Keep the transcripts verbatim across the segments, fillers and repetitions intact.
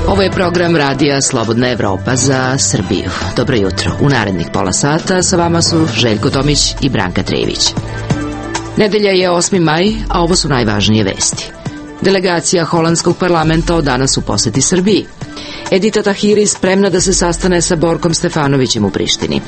Ovo je program radija Slobodna Evropa za Srbiju. Dobro jutro. U narednih pola sata sa vama su Željko Tomić i Branka Trejević. Nedelja je osmi maj, a ovo su najvažnije vesti. Delegacija holandskog parlamenta od danas u poseti Srbiji. Edita Tahiri spremna da se sastane sa Borkom Stefanovićem u Prištini.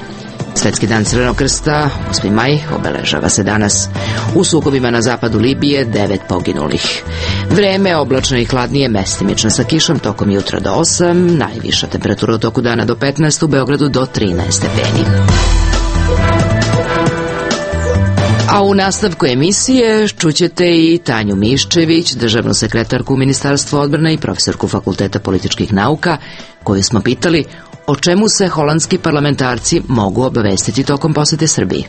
Svetski dan Crvenog krsta, osmi maj, obeležava se danas. U sukobima na zapadu Libije devet poginulih. Vreme oblačno i hladnije, mestimično sa kišom tokom jutra do osam, najviša temperatura u toku dana do petnaest, u Beogradu do trinaest stepeni. A u nastavku emisije čućete i Tanju Miščević, državnu sekretarku u Ministarstvu odbrane i profesorku Fakulteta političkih nauka, koju smo pitali o čemu se holandski parlamentarci mogu obavestiti tokom posete Srbiji.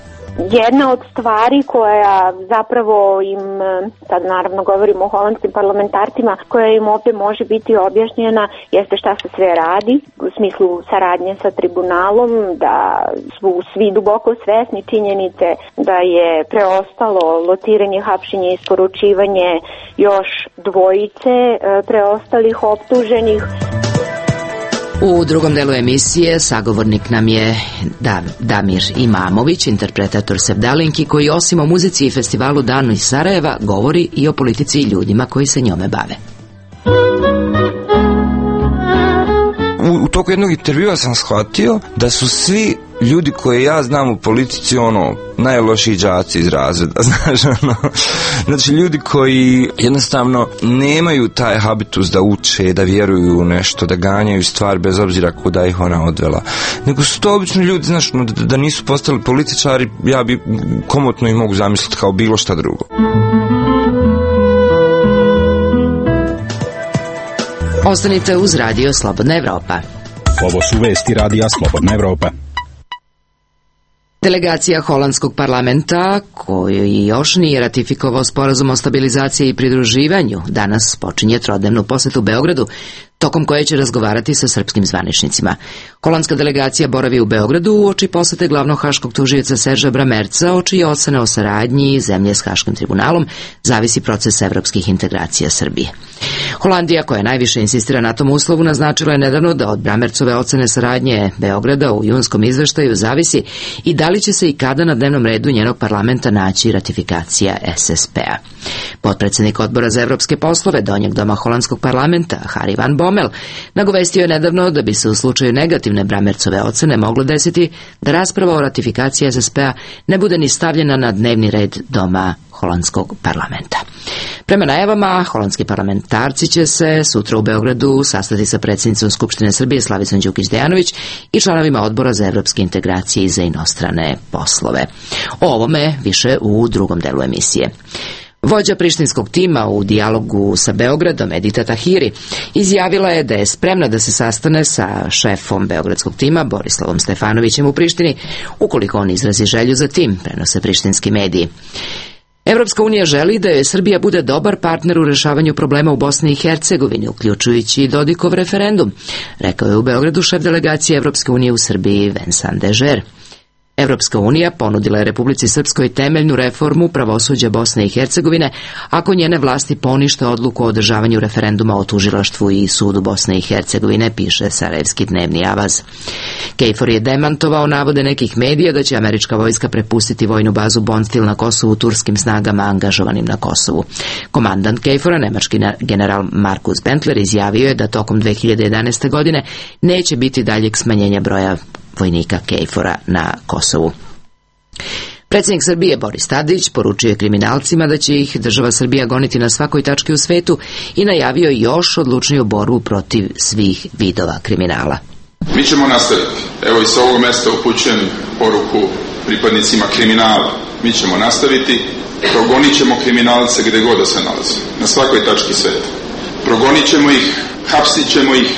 Jedna od stvari koja zapravo im, sad naravno govorimo o holandskim parlamentarcima, koja im ovdje može biti objašnjena jeste šta se sve radi u smislu saradnje sa tribunalom, da su svi duboko svesni činjenice da je preostalo lociranje, hapšenje i isporučivanje još dvojice preostalih optuženih. U drugom delu emisije sagovornik nam je Damir Imamović, interpretator Sevdalinki, koji osim o muzici i festivalu Danu iz Sarajeva govori i o politici i ljudima koji se njome bave. U, u toku jednog intervjua sam shvatio da su svi ljudi koje ja znam u politici ono najlošiji đaci iz razreda, znaš, ono, znači ljudi koji jednostavno nemaju taj habitus da uče, da vjeruju u nešto, da ganjaju stvar bez obzira kuda ih ona odvela, nego su to obični ljudi, znaš, no, da, da nisu postali političari, ja bi komotno ih mogu zamisliti kao bilo šta drugo. Ostanite uz radio Slobodna Evropa. Ovo su vesti radija Slobodna Evropa. Delegacija holandskog parlamenta, koji još nije ratifikovao sporazum o stabilizaciji i pridruživanju, danas počinje trodnevnu posetu Beogradu, tokom koje će razgovarati sa srpskim zvaničnicima. Holandska delegacija boravi u Beogradu uoči posete glavnog haškog tužioca Serža Bramerca, o čije ocene o saradnji zemlje s Haškim tribunalom zavisi proces evropskih integracija Srbije. Holandija, koja najviše insistira na tom uslovu, naznačila je nedavno da od Bramercove ocene saradnje Beograda u junskom izveštaju zavisi i da li će se i kada na dnevnom redu njenog parlamenta naći ratifikacija S S P-a. Potpredsjednik odbora za evropske poslove Donjeg doma holandskog parlamenta, Harry van Bommel, nagovestio je nedavno da bi se u slučaju negativne Bramercove ocene moglo desiti da rasprava o ratifikaciji S S P-a ne bude ni stavljena na dnevni red doma holandskog parlamenta. Prema najavama, holandski parlamentarci će se sutra u Beogradu sastati sa predsjednicom Skupštine Srbije Slavicom Đukić Dejanović i članovima odbora za evropske integracije i za inostrane poslove. O ovome više u drugom delu emisije. Vođa prištinskog tima u dijalogu sa Beogradom, Edita Tahiri, izjavila je da je spremna da se sastane sa šefom beogradskog tima, Borislavom Stefanovićem u Prištini, ukoliko on izrazi želju za tim, prenose prištinski mediji. Evropska unija želi da je Srbija bude dobar partner u rešavanju problema u Bosni i Hercegovini, uključujući i Dodikov referendum, rekao je u Beogradu šef delegacije Evropske unije u Srbiji Vincent Dežer. Evropska unija ponudila je Republici Srpskoj temeljnu reformu pravosuđa Bosne i Hercegovine ako njene vlasti ponište odluku o održavanju referenduma o tužilaštvu i sudu Bosne i Hercegovine, piše sarajevski dnevni Avaz. Kejfor je demantovao navode nekih medija da će američka vojska prepustiti vojnu bazu Bondsteel na Kosovu turskim snagama angažovanim na Kosovu. Komandant Kejfora, nemački general Markus Bentler, izjavio je da tokom dve hiljade jedanaeste. godine neće biti daljeg smanjenja broja vojnika Kejfora na Kosovu. Predsjednik Srbije Boris Tadić poručio je kriminalcima da će ih država Srbija goniti na svakoj tački u svetu i najavio još odlučniju borbu protiv svih vidova kriminala. Mi ćemo nastaviti. Evo i sa ovog mesta upućujem poruku pripadnicima kriminala. Mi ćemo nastaviti, progonit ćemo kriminalce gdje god da se nalaze, na svakoj tački sveta. Progonit ćemo ih, hapsit ćemo ih,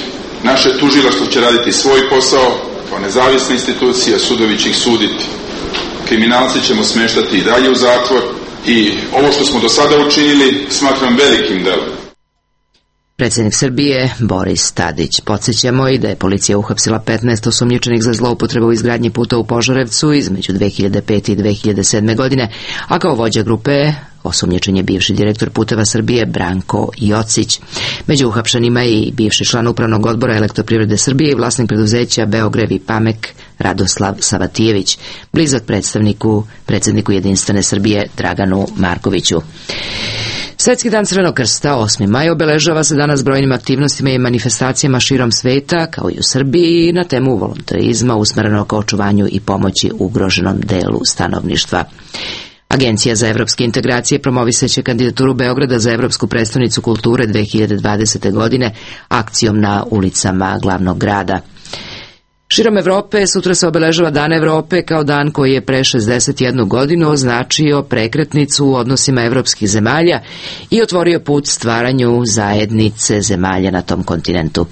naše tužilaštvo će raditi svoj posao, kao nezavisna institucija, sudovi će ih suditi. Kriminalci ćemo smeštati i dalje u zatvor i ovo što smo do sada učinili smatram velikim delom. Predsjednik Srbije Boris Tadić. Podsjećamo i da je policija uhapsila petnaest osumnjičenih za zloupotrebu u izgradnji puta u Požarevcu između dve hiljade pete i dve hiljade sedme. godine, a kao vođa grupe osumnjičen je bivši direktor Puteva Srbije Branko Jocić. Među uhapšenima je i bivši član upravnog odbora Elektroprivrede Srbije i vlasnik preduzeća Beogrev i Pamek Radoslav Savatijević, blizak predstavniku predsjedniku Jedinstvene Srbije Draganu Markoviću. Svetski dan Crvenog krsta, osmi maj, obeležava se danas brojnim aktivnostima i manifestacijama širom sveta, kao i u Srbiji, na temu volontarizma usmerenog ka očuvanju i pomoći ugroženom delu stanovništva. Agencija za evropske integracije promovisaće kandidaturu Beograda za Evropsku prestonicu kulture dve hiljade dvadesete. godine akcijom na ulicama glavnog grada. Širom Evrope sutra se obeležava Dan Evrope kao dan koji je pre šezdeset jednu godinu označio prekretnicu u odnosima evropskih zemalja i otvorio put stvaranju zajednice zemalja na tom kontinentu.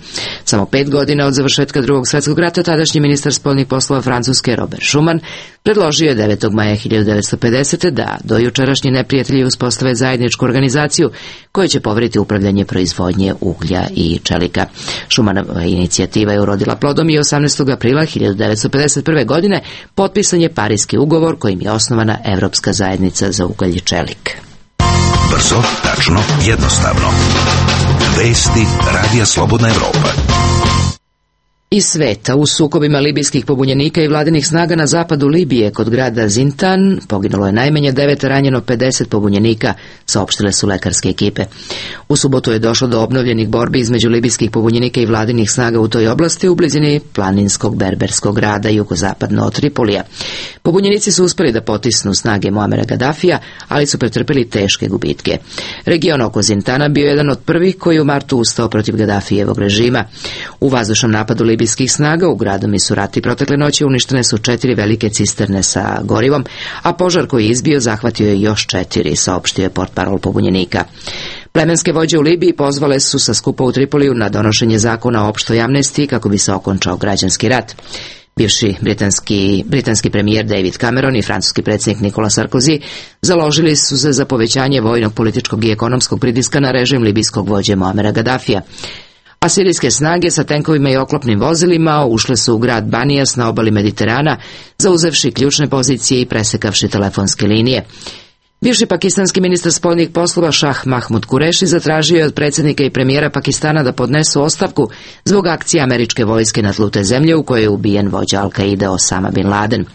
Samo pet godina od završetka Drugog svjetskog rata tadašnji ministar spoljnih poslova Francuske Robert Schuman predložio je devetog maja hiljadu devetsto pedesete. da do jučerašnji neprijatelji uspostave zajedničku organizaciju koja će poveriti upravljanje proizvodnje uglja i čelika. Schumanova inicijativa je urodila plodom i osamnaestog aprila hiljadu devetsto pedeset prve. godine potpisan je Pariski ugovor kojim je osnovana Evropska zajednica za ugalj i čelik. Brzo, tačno, jednostavno. Vesti Radija Slobodna Evropa. Iz sveta, u sukobima libijskih pobunjenika i vladinih snaga na zapadu Libije kod grada Zintan poginulo je najmanje devet, ranjeno pedeset pobunjenika, saopštile su lekarske ekipe. U subotu je došlo do obnovljenih borbi između libijskih pobunjenika i vladinih snaga u toj oblasti u blizini planinskog berberskog grada jugozapadno od Tripolija. Pobunjenici su uspeli da potisnu snage Muamera Gadafija, ali su pretrpeli teške gubitke. Region oko Zintana bio je jedan od prvih koji je u martu ustao protiv Gadafijevog režima. U vazdušnom napadu libijskih snaga u gradu Misurati protekle noći uništene su četiri velike cisterne sa gorivom, a požar koji je izbio zahvatio je još četiri, saopštio je portparol pobunjenika. Plemenske vođe u Libiji pozvale su sa skupa u Tripoliju na donošenje zakona o opštoj amnestiji kako bi se okončao građanski rat. Bivši britanski, britanski premijer David Cameron i francuski predsjednik Nicolas Sarkozy založili su se za povećanje vojnog, političkog i ekonomskog pritiska na režim libijskog vođe Muamera Gadafija. A sirijske snage sa tenkovima i oklopnim vozilima ušle su u grad Banijas na obali Mediterana, zauzevši ključne pozicije i presekavši telefonske linije. Bivši pakistanski ministar spoljnih poslova Šah Mahmud Kureši zatražio je od predsjednika i premijera Pakistana da podnesu ostavku zbog akcije američke vojske na tlu te zemlje u kojoj je ubijen vođa Al-Kaide Osama bin Laden.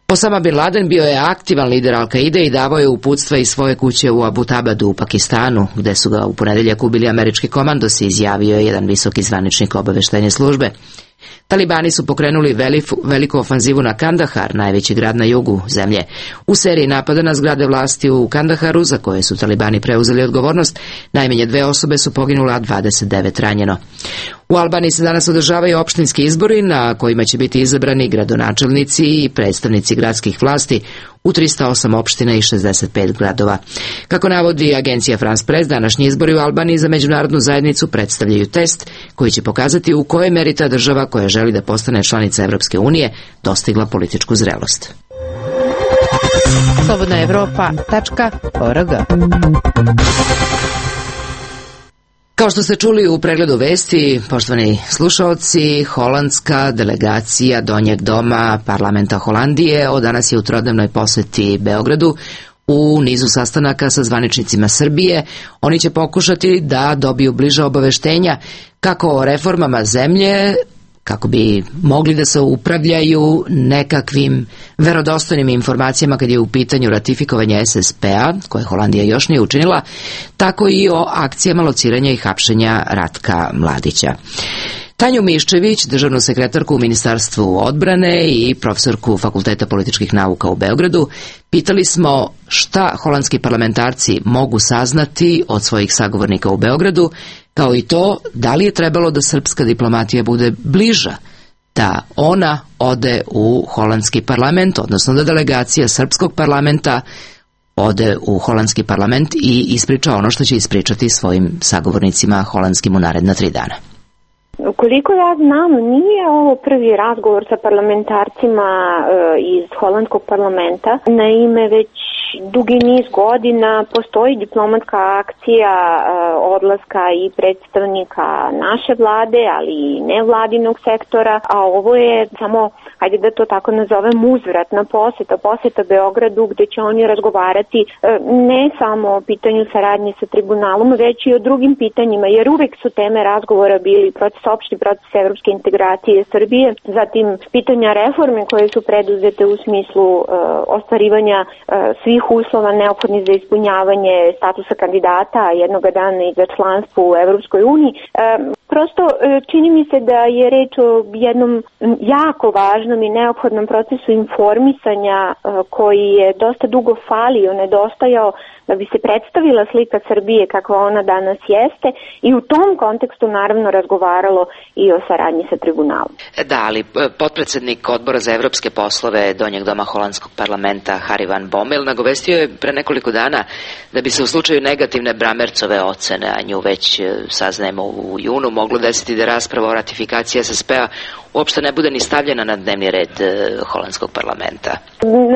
Osama bin Laden bio je aktivan lider Al-Kaide i davao je uputstva iz svoje kuće u Abutabadu u Pakistanu, gde su ga u ponedeljak ubili američki komandosi, izjavio je jedan visoki zvaničnik obaveštajne službe. Talibani su pokrenuli veliku, veliku ofanzivu na Kandahar, najveći grad na jugu zemlje. U seriji napada na zgrade vlasti u Kandaharu, za koje su Talibani preuzeli odgovornost, najmanje dve osobe su poginule, a dvadeset devet ranjeno. U Albaniji se danas održavaju opštinski izbori na kojima će biti izabrani gradonačelnici i predstavnici gradskih vlasti u trista osam opština i šezdeset pet gradova. Kako navodi agencija France Press, današnji izbori u Albaniji za međunarodnu zajednicu predstavljaju test koji će pokazati u kojoj meri ta država koja želi da postane članica Evropske unije dostigla političku zrelost. slobodna evropa tačka org. Kao što ste čuli u pregledu vesti, poštovani slušaoci, holandska delegacija Donjeg doma parlamenta Holandije od danas je u trodnevnoj poseti Beogradu. U nizu sastanaka sa zvaničnicima Srbije oni će pokušati da dobiju bliža obaveštenja kako o reformama zemlje, kako bi mogli da se upravljaju nekakvim verodostojnim informacijama kad je u pitanju ratifikovanje S S P-a, koje Holandija još nije učinila, tako i o akcijama lociranja i hapšenja Ratka Mladića. Tanju Miščević, državnu sekretarku u Ministarstvu odbrane i profesorku Fakulteta političkih nauka u Beogradu, pitali smo šta holandski parlamentarci mogu saznati od svojih sagovornika u Beogradu, kao i to da li je trebalo da srpska diplomatija bude bliža, da ona ode u holandski parlament, odnosno da delegacija srpskog parlamenta ode u holandski parlament i ispriča ono što će ispričati svojim sagovornicima holandskim u naredna tri dana. Koliko ja znam, nije ovo prvi razgovor sa parlamentarcima e, iz holandskog parlamenta. Naime, već dugi niz godina postoji diplomatska akcija odlaska i predstavnika naše vlade, ali i nevladinog sektora, a ovo je samo, hajde da to tako nazovem, uzvratna poseta, poseta Beogradu, gde će oni razgovarati ne samo o pitanju saradnje sa tribunalom, već i o drugim pitanjima, jer uvek su teme razgovora bili proces, opšti proces evropske integracije Srbije, zatim pitanja reforme koje su preduzete u smislu uh, ostvarivanja uh, svih uslova neophodnih za ispunjavanje statusa kandidata jednoga dana i za članstvo u Evropskoj uniji. Uh, Prosto čini mi se da je reč o jednom jako važnom i neophodnom procesu informisanja koji je dosta dugo falio, nedostajao da bi se predstavila slika Srbije kakva ona danas jeste i u tom kontekstu naravno razgovaralo i o saradnji sa tribunalom. Da, ali potpredsednik Odbora za evropske poslove Donjeg doma holandskog parlamenta Harry van Bommel nagovestio je pre nekoliko dana da bi se u slučaju negativne Bramercove ocene, a nju već saznajemo u junu, moglo desiti da rasprava o ratifikaciji S S P-a uopšte ne bude ni stavljena na dnevni red holandskog parlamenta.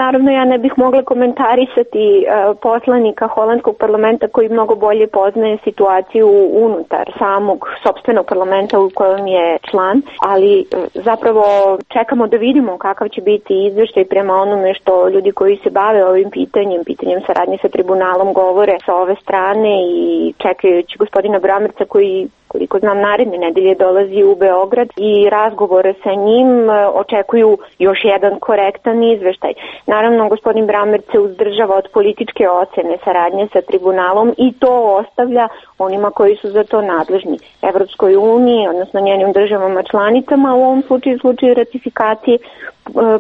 Naravno, ja ne bih mogla komentarisati uh, poslanika holandskog parlamenta koji mnogo bolje poznaje situaciju unutar samog sopstvenog parlamenta u kojem je član, ali uh, zapravo čekamo da vidimo kakav će biti izveštaj prema onome što ljudi koji se bave ovim pitanjem, pitanjem saradnje sa tribunalom govore sa ove strane i čekajući gospodina Bramerca koji koliko znam naredne nedelje dolazi u Beograd i razgovore sa njim očekuju još jedan korektan izveštaj. Naravno, gospodin Bramerc se uzdržava od političke ocene saradnje sa tribunalom i to ostavlja onima koji su za to nadležni. Evropskoj uniji, odnosno njenim državama članicama, u ovom slučaju slučaju ratifikacije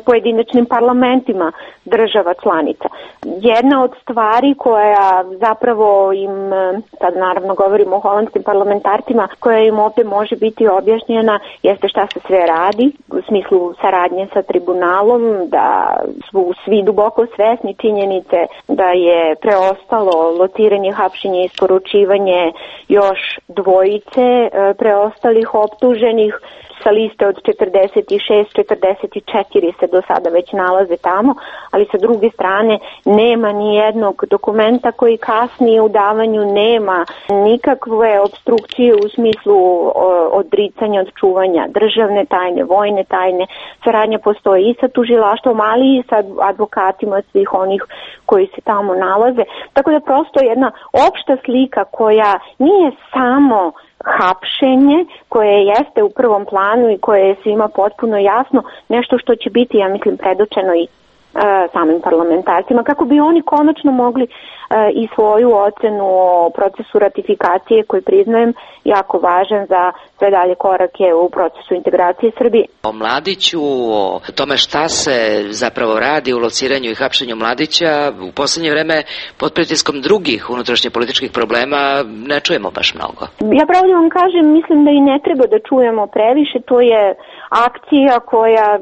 pojedinačnim parlamentima država članica. Jedna od stvari koja zapravo im, sad naravno govorimo o holandskim parlamentarcima, koja im ovde može biti objašnjena jeste šta se sve radi u smislu saradnje sa tribunalom, da su svi duboko svesni činjenice da je preostalo lociranje, hapšenje i isporučivanje još dvojice preostalih optuženih. Sa liste od četrdeset šest četrdeset četiri se do sada već nalaze tamo, ali sa druge strane nema ni jednog dokumenta koji kasnije u davanju, nema nikakve obstrukcije u smislu odricanja od čuvanja državne tajne, vojne tajne. Saradnja postoji i sa tužilaštvom, ali i sa advokatima svih onih koji se tamo nalaze. Tako da prosto jedna opšta slika koja nije samo hapšenje koje jeste u prvom planu i koje je svima potpuno jasno, nešto što će biti, ja mislim, predočeno i e, samim parlamentarcima, kako bi oni konačno mogli e, i svoju ocenu o procesu ratifikacije, koji priznajem jako važan za sve dalje korake u procesu integracije Srbije. O Mladiću, o tome šta se zapravo radi u lociranju i hapšenju Mladića, u poslednje vreme pod pritiskom drugih unutrašnje političkih problema ne čujemo baš mnogo. Ja pravo da vam kažem, mislim da i ne treba da čujemo previše, to je akcija koja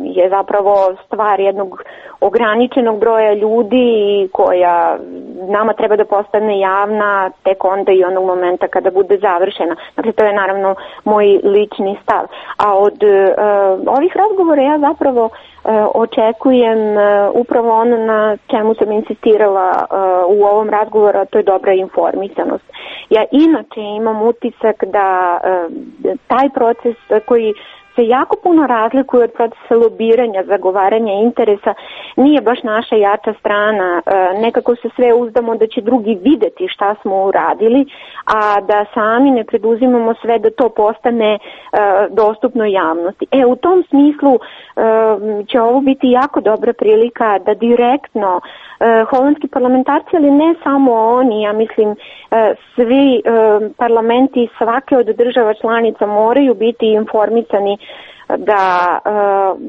je zapravo stvar jednog ograničenog broja ljudi i koja nama treba da postane javna tek onda i onog momenta kada bude završena. Dakle, to je naravno moj lični stav. A od uh, ovih razgovora ja zapravo uh, očekujem uh, upravo ono na čemu sam insistirala uh, u ovom razgovoru, a to je dobra informisanost. Ja inače imam utisak da uh, taj proces koji se jako puno razlikuje od procesa lobiranja, zagovaranja interesa, nije baš naša jača strana. Nekako se sve uzdamo da će drugi videti šta smo uradili, a da sami ne preduzimamo sve da to postane dostupno javnosti. E, u tom smislu će ovo biti jako dobra prilika da direktno holandski parlamentarci, ali ne samo oni, ja mislim svi parlamenti svake od država članica moraju biti informisani da uh,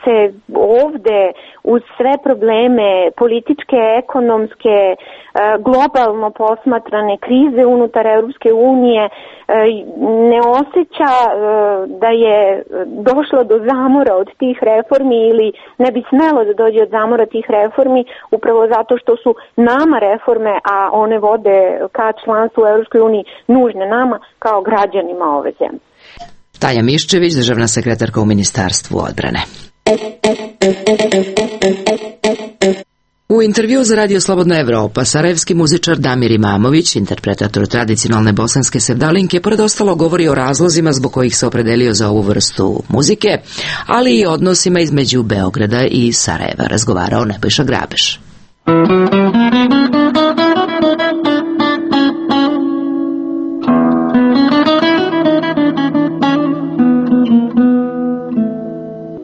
se ovde uz sve probleme političke, ekonomske, uh, globalno posmatrane krize unutar Europske unije uh, ne osjeća uh, da je došlo do zamora od tih reformi ili ne bi smelo da dođe od zamora tih reformi upravo zato što su nama reforme, a one vode ka članstvu u Europskoj uniji nužne nama kao građanima ove zemlje. Tanja Miščević, državna sekretarka u Ministarstvu odbrane. U intervju za Radio Slobodna Evropa, sarajevski muzičar Damir Imamović, interpretator tradicionalne bosanske sevdalinke, pored ostalo govori o razlozima zbog kojih se opredelio za ovu vrstu muzike, ali i odnosima između Beograda i Sarajeva, razgovarao Nebojša Grabeš.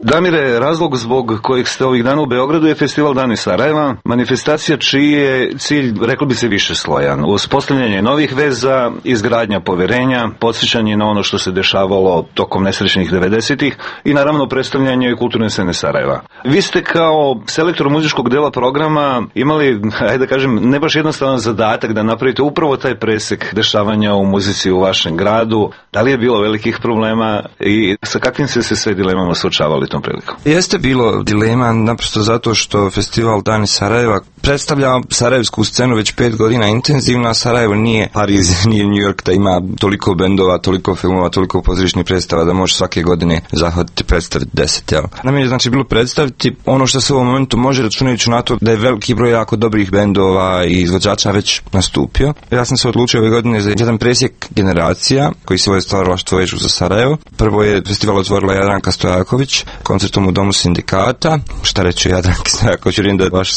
Damire, razlog zbog kojeg ste ovih dana u Beogradu je festival Dani Sarajeva, manifestacija čiji je cilj, reklo bi se, više slojan. Uspostavljanje novih veza, izgradnja poverenja, podsjećanje na ono što se dešavalo tokom nesrećnih devedesetih i naravno predstavljanje kulturne scene Sarajeva. Vi ste kao selektor muzičkog dela programa imali, ajde da kažem, ne baš jednostavan zadatak da napravite upravo taj presek dešavanja u muzici u vašem gradu. Da li je bilo velikih problema i sa kakvim ste se sve dilemama suočavali tom prilikom? Jeste bilo dilema, naprosto zato što festival Dani Sarajeva predstavlja sarajevsku scenu već pet godina intenzivno, a Sarajevo nije Pariz, nije New York da ima toliko bendova, toliko filmova, toliko pozorišnih predstava da može svake godine zahvatiti predstaviti deset, jel? Nam je znači bilo predstaviti ono što se u ovom momentu može, računajući na to da je veliki broj jako dobrih bendova i izvođača već nastupio. Ja sam se odlučio ove godine za jedan presjek generacija koji se ovo je stvaralaštvo vežu za Sarajevo. Prvo je festival otvorila Jadranka Stojaković koncertom u Domu sindikata. Šta reći o Jadranki Stojaković, vjerujem da vaši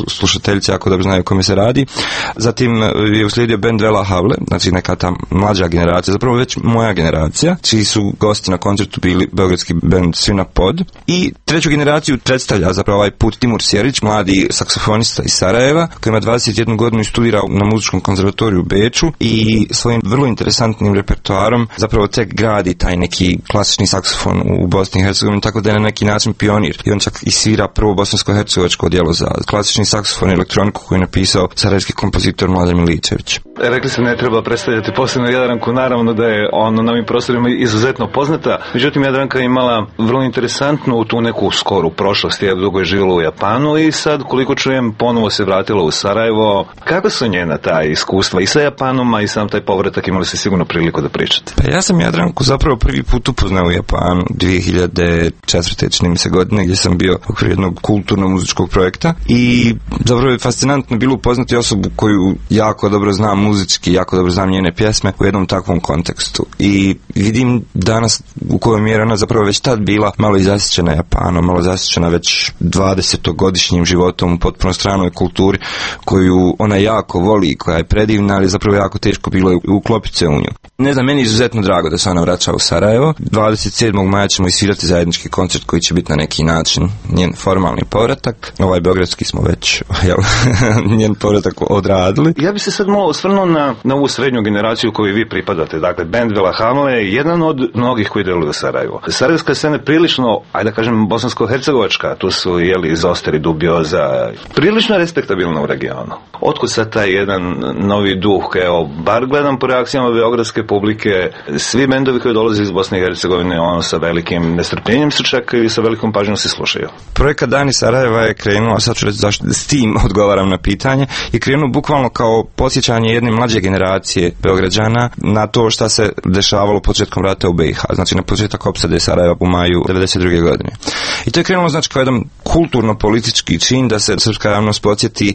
slušateljice jako dobro znaju o kome se radi. Zatim je uslijedio bend Vela Havle, znači neka ta mlađa generacija, zapravo već moja generacija, čiji su gosti na koncertu bili beogradski bend Svina Pod. I treću generaciju predstavlja zapravo ovaj put Timur Sjerić, mladi saksofonista iz Sarajeva, koji ima dvadeset jednu godinu i studira na muzičkom konzervatoriju u Beču i svojim vrlo interesantnim repertoarom zapravo tek gradi taj neki klasični saksofon u Bosni i Hercegovini, tako da je na neki način pionir. I on čak i svira prvo bosansko-hercegovačko djelo za klasični saksofon i elektroniku koju je napisao sarajevski kompozitor Mladen Miličević. Rekli ste ne treba predstavljati posebno Jadranku, naravno da je ono na ovim prostorima izuzetno poznata, međutim Jadranka je imala vrlo interesantnu tu neku skoru prošlost, je dugo je živjela u Japanu i sad koliko čujem ponovo se vratila u Sarajevo. Kako su njena ta iskustva i sa Japanom, a i sam taj povratak, imali ste sigurno priliku da pričate? Pa ja sam Jadranku zapravo prvi put upoznao u Japanu dvije hiljade četvrte čini mi se godine, gdje sam bio u okviru jednog kulturno-muzičkog projekta i zapravo je fascinantno bilo upoznati osobu koju jako dobro znam muzički, jako dobro znam njene pjesme u jednom takvom kontekstu. I vidim danas u kojoj mjeri ona zapravo već tad bila malo i zasićena Japanom, malo zasićena već dvadesetogodišnjim životom u potpuno stranoj kulturi koju ona jako voli, koja je predivna, ali zapravo jako teško bilo uklopiti se u nju. Ne znam, meni je izuzetno drago da se ona vraća u Sarajevo. dvadeset sedmog maja ćemo isvirati zajednički koncert koji će biti na neki način njen formalni povratak. Ovaj beogradski smo već jel, njen povratak odradili. Ja bi se sad malo osvrnuo na, na ovu srednju generaciju koju vi pripadate. Dakle, band Vela Havle je jedan od mnogih koji deluju u Sarajevo. Sarajevska scena je prilično, ajde da kažem, bosansko-hercegovačka. Tu su, jeli, Zosteri, Dubioza, prilično respektabilno u regionu. Otkud sad taj jedan novi duh, evo, bar gledam po reakcijama beogradske publike, svi bendovi koji dolaze iz Bosne i Hercegovine, ono sa velikim nestrpljenjem se čekaju i sa velikom pažnjom se slušaju. Projekat Dani Sarajeva je krenuo, sad ću reći zašto s tim odgovaram na pitanje, je krenuo bukvalno kao podsjećanje jedne mlađe generacije Beograđana na to šta se dešavalo početkom rata u B i H, znači na početak opsade Sarajeva u maju devedeset druge godine. I to je krenulo znači kao jedan kulturno-politički čin da se srpska javnost podsjeti,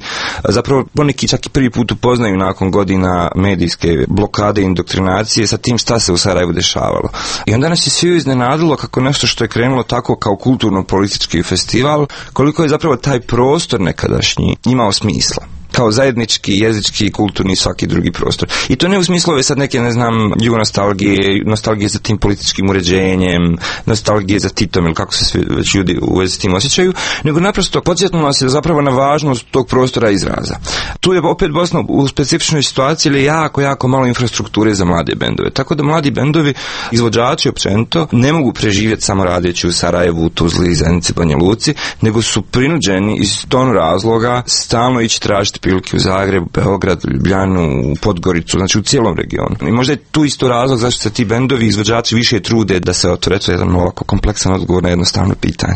zapravo poneki čak i prvi put upoznaju nakon godina medijske blokade i indoktrinacije sa tim šta se u Sarajevu dešavalo. I onda nas je svi iznenadilo kako nešto što je krenulo tako kao kulturno-politički festival, koliko je zapravo taj prostor nekadašnji imao smisla. Kao zajednički, jezički, kulturni i svaki drugi prostor. I to ne u smislu ove sad neke, ne znam, jugonostalgije, nostalgije za tim političkim uređenjem, nostalgije za Titom ili kako se svi već ljudi u vezi s tim osjećaju, nego naprosto podsjetilo nas je zapravo na važnost tog prostora izraza. Tu je opet Bosna u specifičnoj situaciji ili jako, jako malo infrastrukture za mlade bendove. Tako da mladi bendovi, izvođači općenito, ne mogu preživjeti samo radeći u Sarajevu, Tuzli, Zenici, Banja Luci, nego su prinuđeni iz ton razloga stalno ići tražiti prilike u Zagrebu, Beograd, Ljubljanu, Podgoricu, znači u cijelom regionu. I možda je tu isto razlog zašto se ti bendovi, izvođači više trude da se otvore. To je jedan ovako kompleksan odgovor na jednostavno pitanje.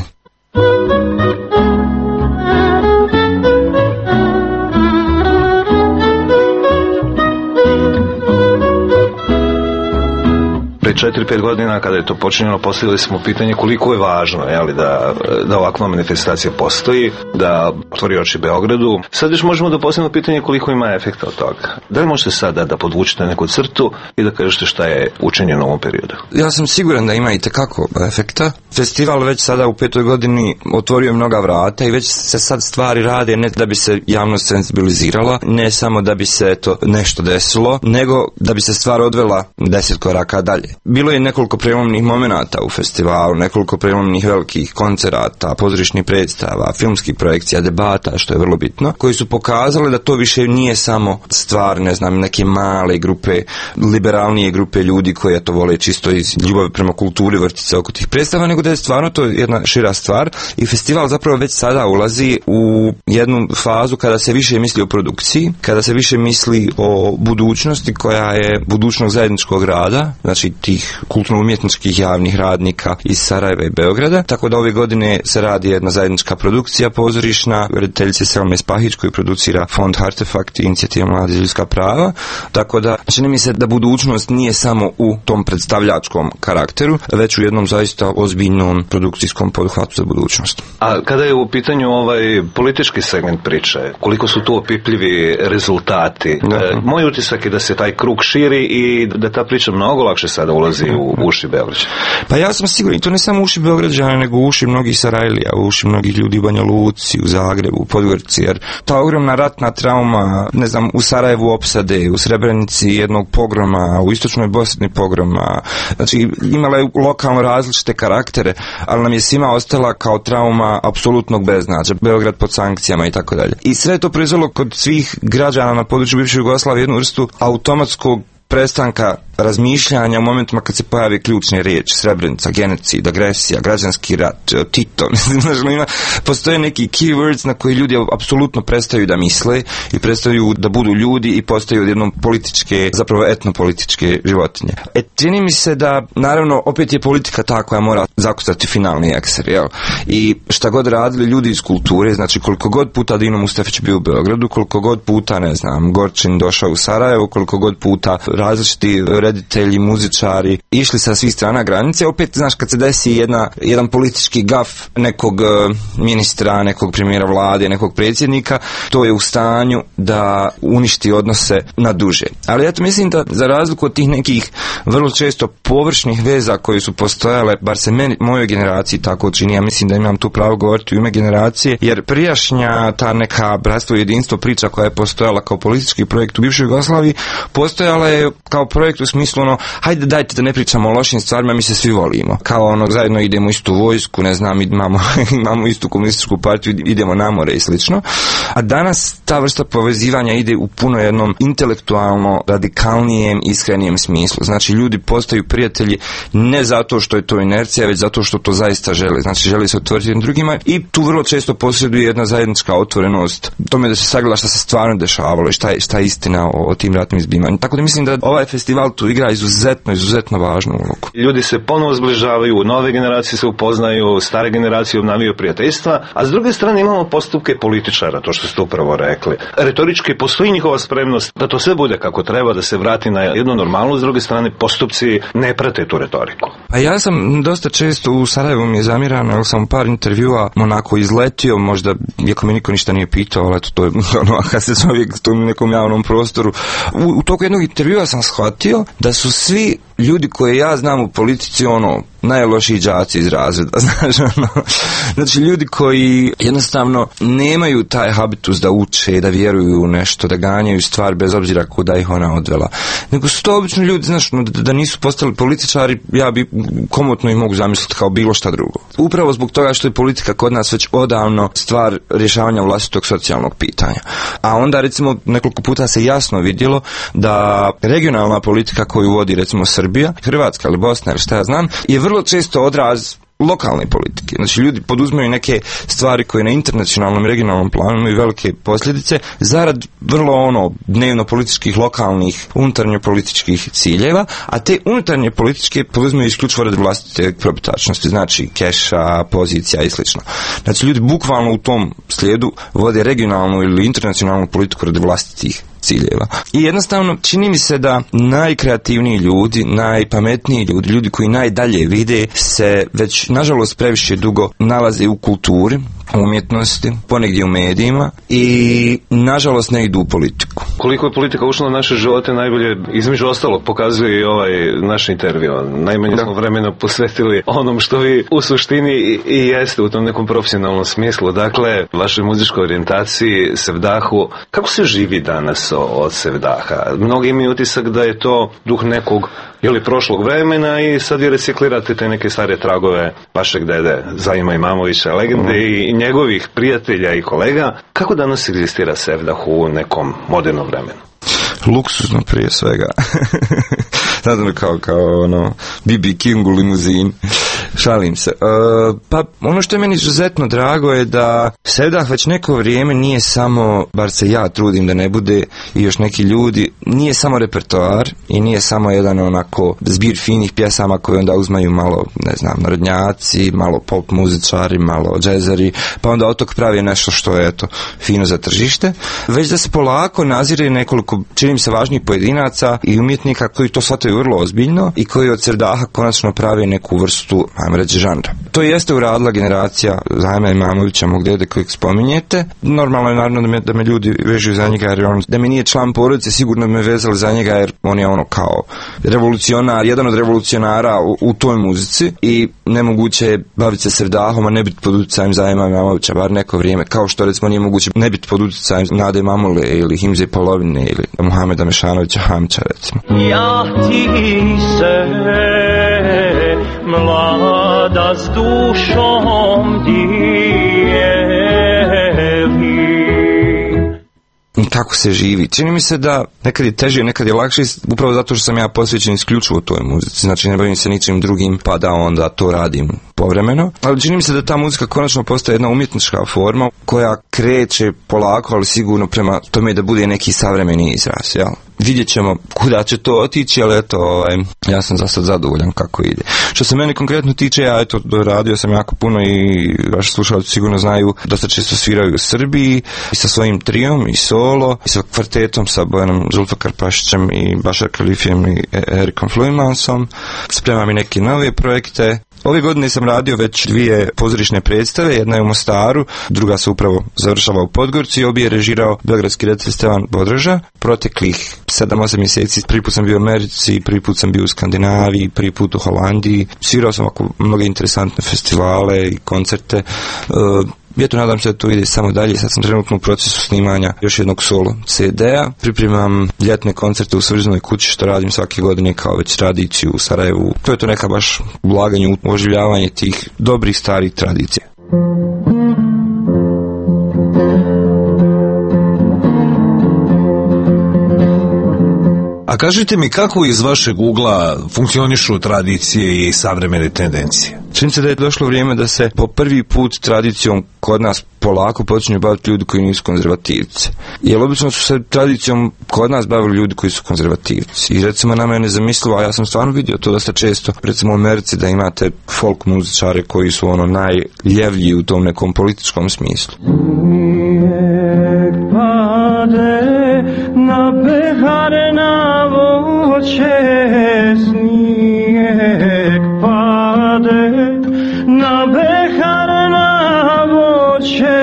četiri pet godina kada je to počinjeno, postavili smo pitanje koliko je važno, jeli, da, da ovakva manifestacija postoji, da otvori oči Beogradu. Sad još možemo da postavimo pitanje koliko ima efekta od toga. Da li možete sada da podvučete neku crtu i da kažete šta je učinjeno u ovom periodu? Ja sam siguran da ima i tekako efekta. Festival već sada u petoj godini otvorio mnoga vrata i već se sad stvari rade ne da bi se javnost senzibilizirala, ne samo da bi se to nešto desilo, nego da bi se stvar odvela deset koraka dalje. Bilo je nekoliko prelomnih momenata u festivalu, nekoliko prelomnih velikih koncerata, pozorišnih predstava, filmskih projekcija, debata, što je vrlo bitno, koji su pokazali da to više nije samo stvar, ne znam, neke male grupe, liberalnije grupe ljudi koji to vole čisto iz ljubavi prema kulturi vrti se oko tih predstava, nego da je stvarno to jedna šira stvar i festival zapravo već sada ulazi u jednu fazu kada se više misli o produkciji, kada se više misli o budućnosti koja je budućnog zajedničkog rada, znači tih kulturno-umjetničkih javnih radnika iz Sarajeva i Beograda, tako da ove godine se radi jedna zajednička produkcija pozorišna, rediteljice Selme Spahić koju producira Fond Artefakt i Inicijativa Mladi za ljudska prava, tako da čini mi se da budućnost nije samo u tom predstavljačkom karakteru, već u jednom zaista ozbiljnom produkcijskom poduhvatu za budućnost. A kada je u pitanju ovaj politički segment priče, koliko su tu opipljivi rezultati? Da. E, moj utisak je da se taj krug širi i da ta priča mnogo lakše sada ulazi u uši Beograđana. Pa ja sam siguran, i to ne samo u uši Beograđana, nego u uši mnogih Sarajlija, u uši mnogih ljudi u Banja Luci, u Zagrebu, u Podgorici, jer ta ogromna ratna trauma, ne znam, u Sarajevu opsade, u Srebrenici jednog pogroma, u Istočnoj Bosni pogroma, znači imala je lokalno različite karaktere, ali nam je svima ostala kao trauma apsolutnog beznađa, Beograd pod sankcijama i tako dalje. I sve je to proizvelo kod svih građana na području bivše Jugoslavije jednu vrstu automatskog prestanka razmišljanja u momentima kad se pojavi ključne riječi, Srebrenica, genocid, agresija, građanski rat, Tito, znaš, ima, postoje neki keywords na koji ljudi apsolutno prestaju da misle i prestaju da budu ljudi i postaju odjednom političke, zapravo etnopolitičke životinje. E, čini mi se da, naravno, opet je politika ta koja mora zakucati finalni ekser, jel? I šta god radili ljudi iz kulture, znači koliko god puta Dino Mustafić bio u Beogradu, koliko god puta, ne znam, Gorčin došao u Sarajevo, koliko god puta različiti reditelji, muzičari išli sa svih strana granice, opet, znaš, kad se desi jedna, jedan politički gaf nekog ministra, nekog premijera vlade, nekog predsjednika, to je u stanju da uništi odnose na duže. Ali ja to mislim da za razliku od tih nekih vrlo često površnih veza koje su postojale, bar se meni, mojoj generaciji tako čini, ja mislim da imam tu pravo govoriti u ime generacije, jer prijašnja ta neka bratstvo i jedinstvo priča koja je postojala kao politički projekt u bivšoj Jugoslaviji, postojala je kao projekt u smislu ono, hajde dajte da ne pričamo o lošim stvarima, mi se svi volimo. Kao ono, zajedno idemo u istu vojsku, ne znam, imamo, imamo istu komunističku partiju, idemo na more i slično. A danas ta vrsta povezivanja ide u puno jednom intelektualno radikalnijem, iskrenijem smislu. Znači, ljudi postaju prijatelji ne zato što je to inercija, već zato što to zaista žele. Znači, žele se otvoriti jednim drugima i tu vrlo često posjeduje jedna zajednička otvorenost tome da se sagleda šta se stvarno dešavalo i šta je, šta je istina o, o tim ratnim zbivanjima. Tako da mislim da ovaj festival tu igra izuzetno, izuzetno važnu ulogu. Ljudi se ponovo zbližavaju, nove generacije se upoznaju, stare generacije obnavljaju prijateljstva, a s druge strane imamo postupke političara, to što ste upravo rekli. Retorički postoji njihova spremnost da to sve bude kako treba, da se vrati na jednu normalnu, s druge strane postupci ne prate tu retoriku. A ja sam dosta često u Sarajevu mi je zamirano, jer sam u par intervjua onako izletio, možda, iako mi niko ništa nije pitao, ali eto, to je ono, kad se čovjek u nekom javnom prostoru. U, u toku jednog intervjua sam shvatio da su svi ljudi koje ja znam u politici, ono, najlošiji đaci iz razreda, znaš, ono, znači ljudi koji jednostavno nemaju taj habitus da uče, da vjeruju u nešto, da ganjaju stvar bez obzira kuda ih ona odvela. Nego su to obično ljudi, znaš, no, da, da nisu postali političari, ja bi komotno ih mogu zamisliti kao bilo šta drugo. Upravo zbog toga što je politika kod nas već odavno stvar rješavanja vlastitog socijalnog pitanja. A onda, recimo, nekoliko puta se jasno vidjelo da regionalna politika koju vodi, recimo, Srbija, Hrvatska ili Bosna ili šta ja znam, je vrlo često odraz lokalne politike. Znači, ljudi poduzmaju neke stvari koje na internacionalnom i regionalnom planu imaju velike posljedice zarad vrlo ono dnevno političkih, lokalnih, unutarnje političkih ciljeva, a te unutarnje političke poduzmaju isključivo radi vlastite probitačnosti, znači keša, pozicija i slično. Znači, ljudi bukvalno u tom slijedu vode regionalnu ili internacionalnu politiku radi vlastitih ciljeva. I jednostavno čini mi se da najkreativniji ljudi, najpametniji ljudi, ljudi koji najdalje vide se već nažalost previše dugo nalaze u kulturi, umjetnosti, ponegdje u medijima i nažalost ne idu u politiku. Koliko je politika ušla u naše živote najbolje, između ostalog, pokazuje i ovaj naš intervju. Najmanje da. smo vremena posvetili onom što vi u suštini i, i jeste u tom nekom profesionalnom smislu. Dakle, vašoj muzičkoj orijentaciji, Sevdahu. Kako se živi danas od Sevdaha? Mnogi imaju utisak da je to duh nekog ili prošlog vremena i sad vi reciklirate te neke stare tragove vašeg dede Zaima Imamovića, legende mm. i njegovih prijatelja i kolega. Kako danas egzistira Sevdah u nekom modernom vremenu? Luksuzno prije svega. Znam kao, kao ono, B B King u limuzini. Šalim se. E, pa ono što je meni izuzetno drago je da Sevdah već neko vrijeme nije samo, bar se ja trudim da ne bude i još neki ljudi, nije samo repertoar i nije samo jedan onako zbir finih pjesama koje onda uzmaju malo, ne znam, narodnjaci, malo pop muzičari, malo džezari, pa onda od tog pravi nešto što je eto fino za tržište, već da se polako nazire nekoliko, čini mi se, važnijih pojedinaca i umjetnika koji to shvataju vrlo ozbiljno i koji od Sevdaha konačno pravi neku vrstu, ajmo reći, žanra. To jeste uradila generacija Zaima Imamovića, mog dede kojeg spominjete. Normalno je naravno da me, da me ljudi vežu za njega, jer on, da mi nije član porodice, sigurno me vezali za njega, jer on je ono kao revolucionar, jedan od revolucionara u, u toj muzici i nemoguće je baviti se Sevdahom, a ne biti pod utjecajem Zaima Imamovića, bar neko vrijeme, kao što recimo nije moguće ne biti pod utjecajem Nade Mamule ili Himze Polovine ili Muhameda Mešanovića Hamća, recimo. Ja ti se mlada s dušom dijevi. Kako se živi? Čini mi se da nekad je teže, nekad je lakše, upravo zato što sam ja posvećen isključivo toj muzici. Znači ne bavim se ničim drugim, pa da onda to radim povremeno. Ali čini mi se da ta muzika konačno postaje jedna umjetnička forma koja kreće polako, ali sigurno prema tome da bude neki savremeni izraz, jel? Vidjet ćemo kuda će to otići, ali eto, ovaj, ja sam za sad zadovoljan kako ide. Što se mene konkretno tiče, ja eto, radio sam jako puno i vaši slušalci sigurno znaju, dosta često sviraju u Srbiji i sa svojim trijom i solo i sa kvartetom, sa Bojanom Zulfakarpašićem i Bašar Kalifijem i Erikom Fluimansom. Spremam i neke nove projekte. Ove godine sam radio već dvije pozorišne predstave, jedna je u Mostaru, druga se upravo završava u Podgorci, obje je režirao beogradski redatelj Stevan Bodraža. Proteklih sedam osam mjeseci, prvi put sam bio u Americi, prvi put sam bio u Skandinaviji, prvi put u Holandiji, svirao sam oko mnoge interesantne festivale i koncerte. Uh, Ja to nadam se da to ide samo dalje. Sad sam trenutno u procesu snimanja još jednog solo ce de-a. Pripremam ljetne koncerte u Svrznoj kući, što radim svake godine kao već tradiciju u Sarajevu. To je to neka baš ulaganje u oživljavanje tih dobrih starih tradicija. A kažite mi kako iz vašeg ugla funkcionišu tradicije i savremene tendencije? Čini se da je došlo vrijeme da se po prvi put tradicijom kod nas polako počinju baviti ljudi koji nisu konzervativci. Jer obično su se tradicijom kod nas bavili ljudi koji su konzervativci. I recimo nama je nezamislivo, a ja sam stvarno vidio to dosta često, recimo u Americi, da imate folk muzičare koji su ono najljevlji u tom nekom političkom smislu. Na behare na voće snijeg pade, na behare na voće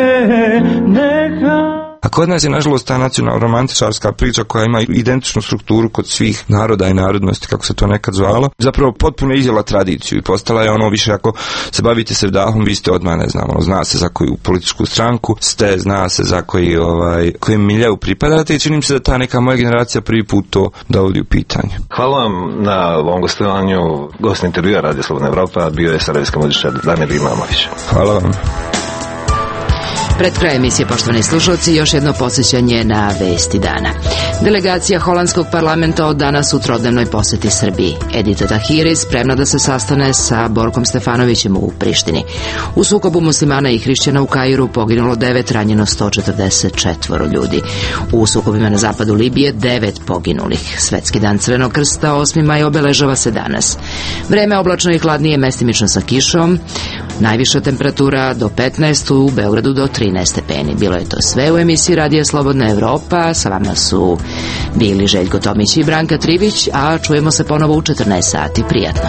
neka. A kod nas je nažalost ta nacionalna romantičarska priča koja ima identičnu strukturu kod svih naroda i narodnosti, kako se to nekad zvalo, zapravo potpuno izjela tradiciju i postala je ono više, ako se bavite Sevdahom, vi ste odmah, ne znam, ono, zna se za koju političku stranku ste, zna se za koji, ovaj, kojem miljeu pripadate i čini mi se da ta neka moja generacija prvi put to dovodi u pitanje. Hvala vam na ovom gostovanju. Gost intervjua Radio Slobodna Evropa bio je sarajevski muzičar Damir Imamović. Hvala vam. Pred kraj emisije, poštovani slušalci, još jedno podsjećanje na vesti dana. Delegacija holandskog parlamenta od danas u trodnevnoj posjeti Srbiji. Edita Tahiri spremna da se sastane sa Borkom Stefanovićem u Prištini. U sukobu muslimana i hrišćana u Kairu poginulo devet, ranjeno sto četrdeset četiri ljudi. U sukobima na zapadu Libije devet poginulih. Svetski dan Crvenog krsta osmi maj obeležava se danas. Vreme oblačno i hladnije, mestimično sa kišom. Najviša temperatura do petnaest, u Beogradu do trinaest stepeni. Bilo je to sve u emisiji Radija Slobodna Evropa. Sa vama su bili Željko Tomić i Branka Trivić, a čujemo se ponovo u četrnaest sati. Prijatno.